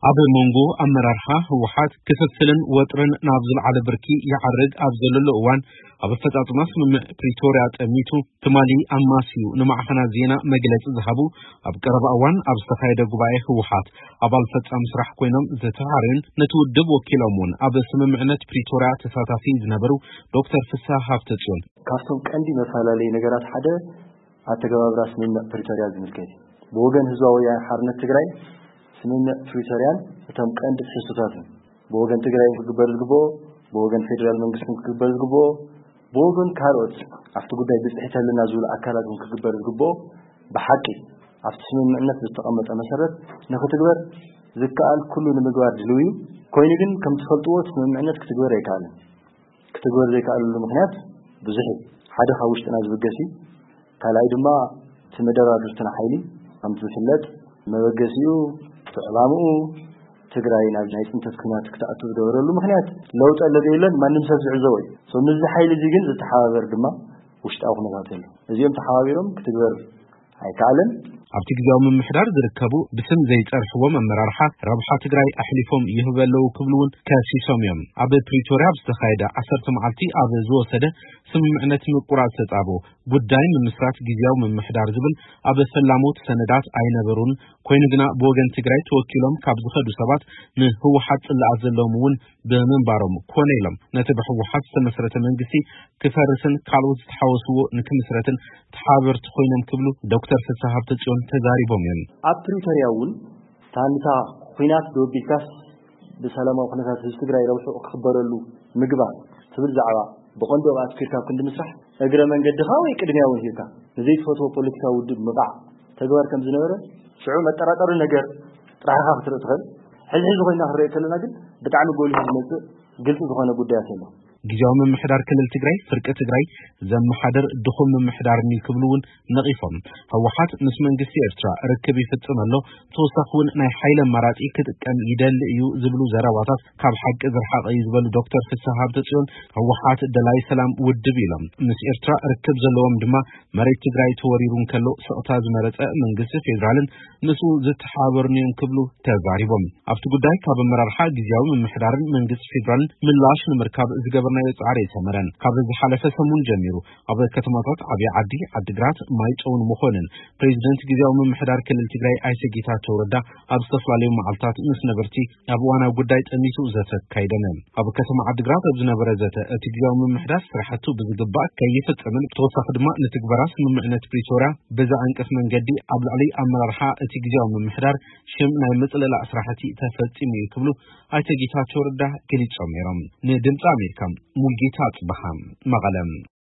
ኣብ መንጎ ኣመራርሓ ህወሓት ክፍፍልን ወጥርን ናብ ዝለዓለ ብርኪ ይዓርግ ኣብ ዘለሉ እዋን፣ ኣብ ኣፈጻጽማ ስምምዕ ፕሪቶርያ ጠሚቱ ትማሊ ኣማስዩ ንማዕኸናት ዜና መግለጺ ዝሃቡ፣ ኣብ ቀረባ እዋን ኣብ ዝተኻየደ ጉባኤ ህወሓት ኣባል ፈጻሚ ስራሕ ኮይኖም ዝተሃርዩን ነቲ ውድብ ወኪሎም እውን ኣብ ስምምዕነት ፕሪቶርያ ተሳታፊ ዝነበሩ ዶክተር ፍስሃ ሃብተጽዮን፣ ካብቶም ቀንዲ መፈላለዪ ነገራት ሓደ ኣተገባብራ ስምምዕ ፕሪቶርያ ዝምልከት እዩ። ብወገን ህዝባዊ ወያነ ሓርነት ትግራይ ስምምዕ ፕሪቶርያን እቶም ቀንዲ ትሕዝቶታት እዮም። ብወገን ትግራይ ክግበር ዝግብኦ፣ ብወገን ፌዴራል መንግስትን ክግበር ዝግብኦ፣ ብወገን ካልኦት ኣብቲ ጉዳይ ብፅሒት ኣለና ዝብሉ ኣካላት እውን ክግበር ዝግብኦ፣ ብሓቂ ኣብቲ ስምምዕነት ዝተቐመጠ መሰረት ንክትግበር ዝከኣል ኩሉ ንምግባር ድልው እዩ። ኮይኑ ግን ከም ትፈልጥዎ እቲ ስምምዕነት ክትግበር ኣይከኣልን። ክትግበር ዘይከኣለሉ ምኽንያት ብዙሕ እዩ። ሓደ ካብ ውሽጥና ዝብገስ እዩ። ካልኣይ ድማ እቲ መደራድርትና ሓይሊ ከምቲ ዝፍለጥ መበገሲኡ እቲ ዕላምኡ ትግራይ ናብ ናይ ፅንተት ኩናት ክትኣቱ ዝገበረሉ ምኽንያት ለውጢ ኣሎ ዶ የለን ማንም ሰብ ዝዕዘቦ እዩ። So ምስዚ ሓይሊ እዚ ግን ዝተሓባበር ድማ ውሽጣዊ ኩነታት ኣሎ። እዚኦም ተሓባቢሮም ክትግበር ኣይከኣልን። ኣብቲ ግዜያዊ ምምሕዳር ዝርከቡ ብስም ዘይጸርሕዎም ኣመራርሓ ረብሓ ትግራይ ኣሕሊፎም ይህቡ ኣለዉ ክብሉ እውን ከሲሶም እዮም። ኣብ ፕሪቶርያ ኣብ ዝተኻየደ ዓሰርተ መዓልቲ ኣብ ዝወሰደ ስምምዕነት ምቁራጽ ተጻቦ ጉዳይ ምምስራት ግዜያዊ ምምሕዳር ዝብል ኣብ ፈላሞት ሰነዳት ኣይነበሩን። ኮይኑ ግና ብወገን ትግራይ ተወኪሎም ካብ ዝኸዱ ሰባት ንህወሓት ጽላኣት ዘለዎም እውን ብምንባሮም ኮነ ኢሎም ነቲ ብህወሓት ዝተመስረተ መንግስቲ ክፈርስን ካልኦት ዝተሓወስዎ ንክምስረትን ተሓባበርቲ ኮይኖም ክብሉ ዶክተር ፍስሃ ሃብተጽዮን ተዛሪቦም እዮም። ኣብ ፕሪቶርያ እውን ታንታ ኲናት ዶ ቢልካስ ብሰላማዊ ኩነታት ህዝቢ ትግራይ ረብሑ ክኽበረሉ ምግባር ትብል ዛዕባ ብቐንዱ ኣብኣ ኣትኪርካ ኣብ ክንዲ ምስራሕ እግረ መንገድኻ ወይ ቅድሚያ እውን ሂብካ ንዘይትፈትዎ ፖለቲካዊ ውድብ ምብዓዕ ተግባር ከም ዝነበረ ሽዑ መጠራጠሪ ነገር ጥራሕኻ ክትርኢ ትኽእል። ሕዚ ሕዚ ኮይና ክንርኢ ከለና ግን ብጣዕሚ ጎሊሑ ዝመፅእ ግልፂ ዝኾነ ጉዳያት ኣሎ። ግዜያዊ ምምሕዳር ክልል ትግራይ ፍርቂ ትግራይ ዘመሓድር ድኹም ምምሕዳር እዩ ክብሉ እውን ነቒፎም። ህወሓት ምስ መንግስቲ ኤርትራ ርክብ ይፍጽም ኣሎ፣ ተወሳኺ እውን ናይ ሓይሊ ኣማራጺ ክጥቀም ይደሊ እዩ ዝብሉ ዘረባታት ካብ ሓቂ ዝረሓቐ እዩ ዝበሉ ዶክተር ፍስሃ ሃብተጽዮን፣ ህወሓት ደላይ ሰላም ውድብ ኢሎም ምስ ኤርትራ ርክብ ዘለዎም ድማ መሬት ትግራይ ተወሪሩ እንከሎ ስቕታ ዝመረጸ መንግስቲ ፌዴራልን ምስኡ ዝተሓባበሩን እዮም ክብሉ ተዛሪቦም። ኣብቲ ጉዳይ ካብ ኣመራርሓ ግዜያዊ ምምሕዳርን መንግስቲ ፌዴራልን ምላሽ ንምርካብ ዝገበርናዮ ጻዕሪ ኣይሰመረን። ካብ ዝሓለፈ ሰሙን ጀሚሩ ኣብ ከተማታት ዓብዪ ዓዲ፣ ዓዲግራት፣ ማይጨውን መኾንን ፕሬዚደንት ግዜያዊ ምምሕዳር ክልል ትግራይ ኣይተ ጌታቸው ረዳ ኣብ ዝተፈላለዩ መዓልታት ምስ ነበርቲ ኣብ እዋናዊ ጉዳይ ጠሚቱ ዘተ ኣካይዶም እዮም። ኣብ ከተማ ዓዲግራት ኣብ ዝነበረ ዘተ እቲ ግዜያዊ ምምሕዳር ስራሕቱ ብዝግባእ ከይፈጸምን ብተወሳኺ ድማ ንትግበራ ስምምዕነት ፕሪቶርያ ብዘዓንቅፍ መንገዲ ኣብ ልዕሊ ኣመራርሓ እቲ ግዜያዊ ምምሕዳር ሽም ናይ ምጽልላእ ስራሕቲ ተፈጺሙ እዩ ክብሉ ኣይተ ጌታቸው ረዳ ገሊጾም ነይሮም። ንድምፂ ኣሜሪካ ሙልጌታ ኣጽበሃ መቐለ።